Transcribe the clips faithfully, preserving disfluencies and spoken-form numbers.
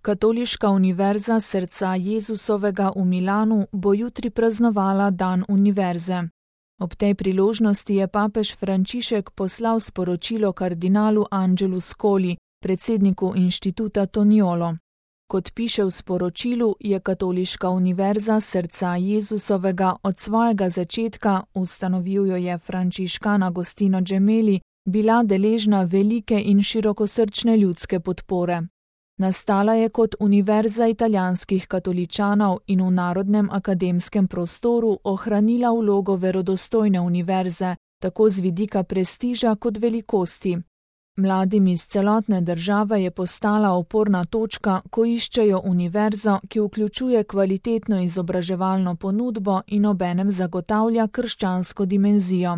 Katoliška univerza Srca Jezusovega v Milanu bo jutri praznovala dan univerze. Ob tej priložnosti je papež Frančišek poslal sporočilo kardinalu Angelu Scoli, predsedniku inštituta Toniolo. Kot piše v sporočilu, je Katoliška univerza Srca Jezusovega od svojega začetka, ustanovil jo je frančiškan Agostino Gemelli, bila deležna velike in širokosrčne ljudske podpore. Nastala je kot univerza italijanskih katoličanov in v narodnem akademskem prostoru ohranila vlogo verodostojne univerze, tako z vidika prestiža kot velikosti. Mladim iz celotne države je postala oporna točka, ko iščejo univerzo, ki vključuje kvalitetno izobraževalno ponudbo in obenem zagotavlja krščansko dimenzijo.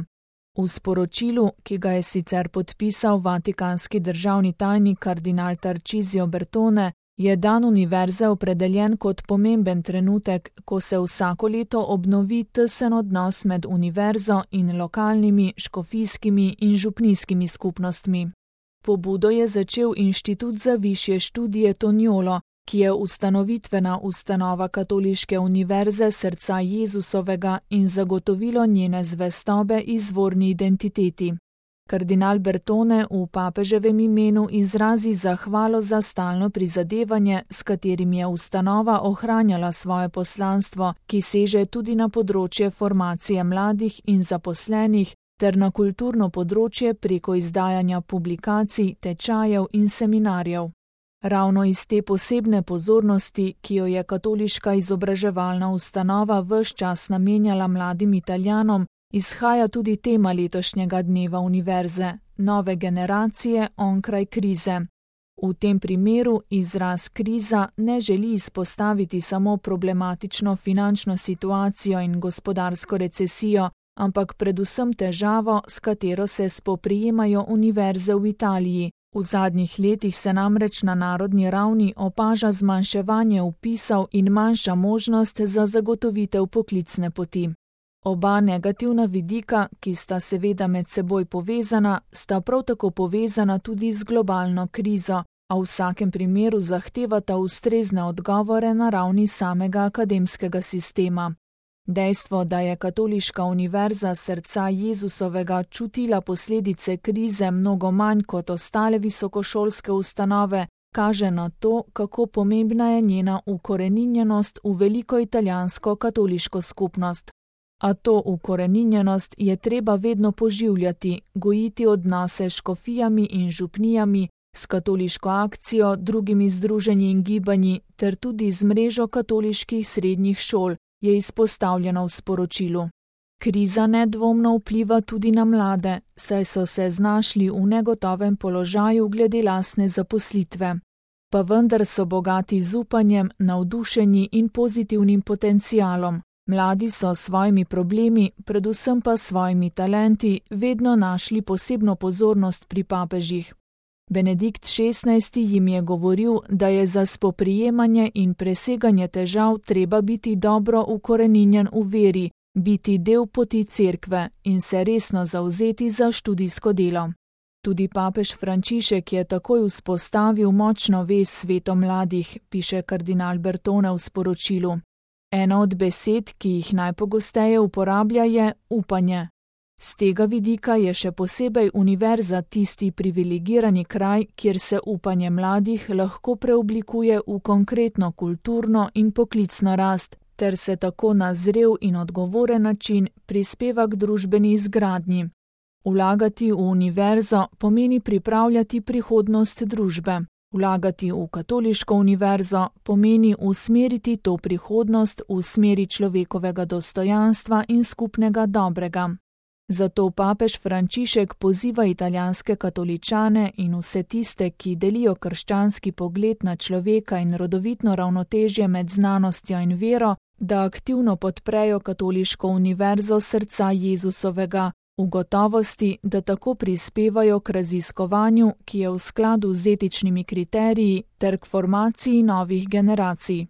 V sporočilu, ki ga je sicer podpisal vatikanski državni tajnik kardinal Tarcisio Bertone, je dan univerze opredeljen kot pomemben trenutek, ko se vsako leto obnovi tesen odnos med univerzo in lokalnimi, škofijskimi in župnijskimi skupnostmi. Pobudo je začel Inštitut za višje študije Toniolo, ki je ustanovitvena ustanova Katoliške univerze Srca Jezusovega in zagotovilo njene zvestobe izvorni identiteti. Kardinal Bertone v papeževem imenu izrazi zahvalo za stalno prizadevanje, s katerim je ustanova ohranjala svoje poslanstvo, ki seže tudi na področje formacije mladih in zaposlenih, ter na kulturno področje preko izdajanja publikacij, tečajev in seminarjev. Ravno iz te posebne pozornosti, ki jo je katoliška izobraževalna ustanova ves čas namenjala mladim Italijanom, izhaja tudi tema letošnjega dneva univerze, nove generacije onkraj krize. V tem primeru izraz kriza ne želi izpostaviti samo problematično finančno situacijo in gospodarsko recesijo, ampak predvsem težavo, s katero se spoprijemajo univerze v Italiji. V zadnjih letih se namreč na narodni ravni opaža zmanjševanje vpisov in manjša možnost za zagotovitev poklicne poti. Oba negativna vidika, ki sta seveda med seboj povezana, sta prav tako povezana tudi z globalno krizo, a v vsakem primeru zahtevata ustrezne odgovore na ravni samega akademskega sistema. Dejstvo, da je Katoliška univerza Srca Jezusovega čutila posledice krize mnogo manj kot ostale visokošolske ustanove, kaže na to, kako pomembna je njena ukoreninjenost v veliko italijansko katoliško skupnost. A to ukoreninjenost je treba vedno poživljati, gojiti odnose s škofijami in župnijami, s katoliško akcijo, drugimi združenji in gibanji ter tudi z mrežo katoliških srednjih šol, je izpostavljeno v sporočilu. Kriza nedvomno vpliva tudi na mlade, saj so se znašli v negotovem položaju glede lastne zaposlitve. Pa vendar so bogati z upanjem, navdušeni in pozitivnim potencialom. Mladi so s svojimi problemi, predvsem pa s svojimi talenti, vedno našli posebno pozornost pri papežih. Benedikt šestnajsti jim je govoril, da je za spoprijemanje in preseganje težav treba biti dobro ukoreninjen v veri, biti del poti cerkve in se resno zavzeti za študijsko delo. Tudi papež Frančišek je takoj vzpostavil močno vez s svetom mladih, piše kardinal Bertone v sporočilu. Ena od besed, ki jih najpogosteje uporablja, je upanje. Z tega vidika je še posebej univerza tisti privilegirani kraj, kjer se upanje mladih lahko preoblikuje v konkretno kulturno in poklicno rast, ter se tako na zrel in odgovoren način prispeva k družbeni izgradnji. Vlagati v univerzo pomeni pripravljati prihodnost družbe. Vlagati v katoliško univerzo pomeni usmeriti to prihodnost v smeri človekovega dostojanstva in skupnega dobrega. Zato papež Frančišek poziva italijanske katoličane in vse tiste, ki delijo krščanski pogled na človeka in rodovitno ravnotežje med znanostjo in vero, da aktivno podprejo Katoliško univerzo Srca Jezusovega, v gotovosti, da tako prispevajo k raziskovanju, ki je v skladu z etičnimi kriteriji, ter k formaciji novih generacij.